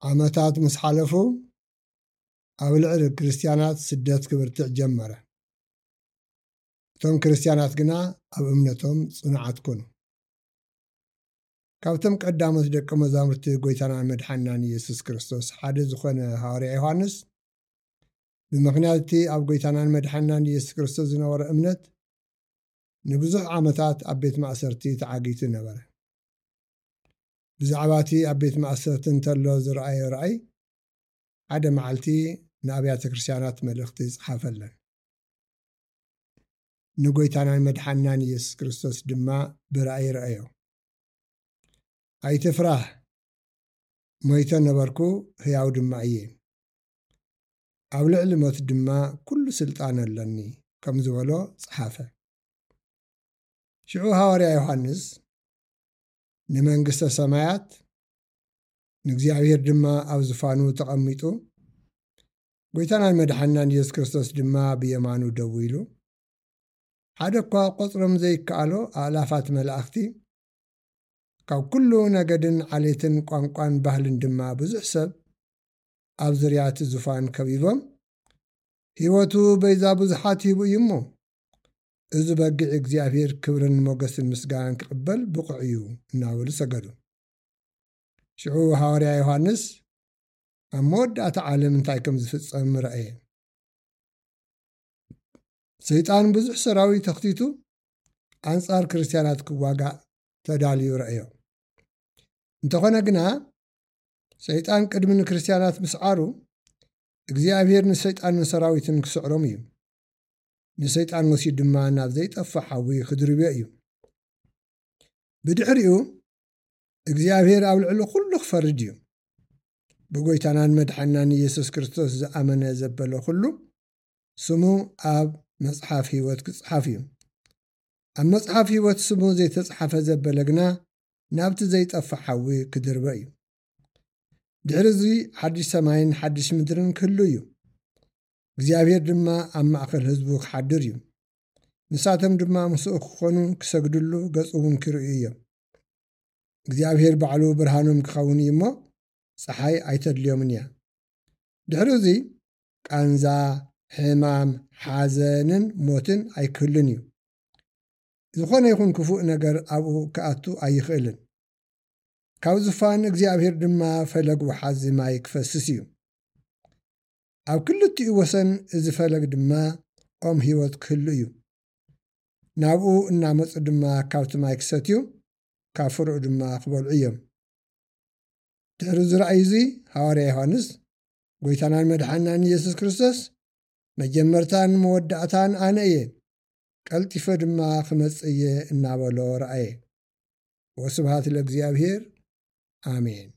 ዓመታት ምስ ሓለፉ፣ ኣብ ልዕሊ ክርስትያናት ስደት ክብርትዕ ጀመረ። እቶም ክርስትያናት ግና ኣብ እምነቶም ጽኑዓት ኮኑ። ካብቶም ቀዳሞት ደቀ መዛሙርቲ ጎይታናን መድሓንናን ኢየሱስ ክርስቶስ ሓደ ዝኾነ ሃዋርያ ዮሃንስ፣ ብምኽንያት እቲ ኣብ ጎይታናን መድሓንናን ኢየሱስ ክርስቶስ ዝነበሮ እምነት፣ ንብዙሕ ዓመታት ኣብ ቤት ማእሰርቲ ተዓጊቱ ነበረ። ብዛዕባ እቲ ኣብ ቤት ማእሰርቲ እንተሎ ዝረኣዮ ራእይ፣ ሓደ መዓልቲ ንኣብያተ ክርስትያናት መልእኽቲ ጸሓፈለን። ንጎይታናን መድሓንናን ኢየሱስ ክርስቶስ ድማ ብራእይ ረኣዮ። "ኣይትፍራህ፣ ሞይተ ነበርኩ፣ ህያው ድማ እየ። ኣብ ልዕሊ ሞት ድማ ኩሉ ስልጣን ኣለኒ" ከም ዝበሎ ጸሓፈ። ሽዑ ሃዋርያ ዮሃንስ ንመንግስተ ሰማያት፣ ንእግዚኣብሔር ድማ ኣብ ዝፋኑ ተቐሚጡ፣ ጎይታናን መድሓንናን ኢየሱስ ክርስቶስ ድማ ብየማኑ ደው ኢሉ፣ ሓደ እኳ ቆጽሮም ዘይከኣሎ ኣእላፋት መላእኽቲ፣ ካብ ኩሉ ነገድን ዓሌትን ቋንቋን ባህልን ድማ ብዙሕ ሰብ ኣብ ዙርያ እቲ ዙፋን ከቢቦም፣ "ህይወቱ በይዛ ብዙሓት ሂቡ እዩ እሞ፣ እዚ በጊዕ እግዚኣብሔር ክብርን ሞገስን ምስጋናን ክቕበል ብቑዕ እዩ" እናበሉ ሰገዱ። ሽዑ ሃዋርያ ዮሃንስ ኣብ መወዳእታ ዓለም እንታይ ከም ዝፍጸም ረኣየ። ሰይጣን ብዙሕ ሰራዊት ተኽቲቱ ኣንጻር ክርስትያናት ክዋጋእ ተዳልዩ ረኣዮ። እንተኾነ ግና፣ ሰይጣን ቅድሚ ንክርስትያናት ምስዓሩ፣ እግዚኣብሔር ንሰይጣንን ሰራዊትን ክስዕሮም እዩ። ንሰይጣን ወሲዱ ድማ ናብ ዘይጠፍእ ሓዊ ክድርብዮ እዩ። ብድሕሪኡ፣ እግዚኣብሔር ኣብ ልዕሊ ኩሉ ክፈርድ እዩ። ብጎይታናን መድሓንናን ኢየሱስ ክርስቶስ ዝኣመነ ዘበለ ኩሉ፣ ስሙ ኣብ መጽሓፍ ህይወት ክጽሓፍ እዩ። ኣብ መጽሓፍ ህይወት ስሙ ዘይተጽሓፈ ዘበለ ግና፣ ናብቲ ዘይጠፍእ ሓዊ ክድርበ እዩ። ድሕሪ እዚ ሓድሽ ሰማይን ሓድሽ ምድርን ክህሉ እዩ። እግዚኣብሔር ድማ ኣብ ማእከል ህዝቡ ክሓድር እዩ። ንሳቶም ድማ ምስኡ ክኾኑ፣ ክሰግድሉ፣ ገጹ እውን ክርእዩ እዮም። እግዚኣብሔር ባዕሉ ብርሃኖም ክኸውን እዩ እሞ፣ ጸሓይ ኣይተድልዮምን እያ። ድሕሪ እዚ ቃንዛ፣ ሕማም፣ ሓዘንን ሞትን ኣይክህሉን እዩ። ዝኾነ ይኹን ክፉእ ነገር ኣብኡ ክኣቱ ኣይኽእልን። ካብ ዙፋን እግዚኣብሔር ድማ ፈለግ ወሓዚ ማይ ክፈስስ እዩ። ኣብ ክልቲኡ ወሰን እዚ ፈለግ ድማ ኦም ህይወት ክህሉ እዩ። ናብኡ እናመጹ ድማ ካብቲ ማይ ክሰትዩ፣ ካብ ፍረኡ ድማ ክበልዑ እዮም። ድሕሪ እዚ ራእይ እዚ፣ ሃዋርያ ዮሃንስ፣ ጎይታናን መድሓንናን ኢየሱስ ክርስቶስ፣ "መጀመርታን መወዳእታን ኣነ እየ፣ ቀልጢፈ ድማ ክመጽእ እየ" እናበሎ ረኣየ። ወስብሃት ለእግዚኣብሔር። ኣሜን።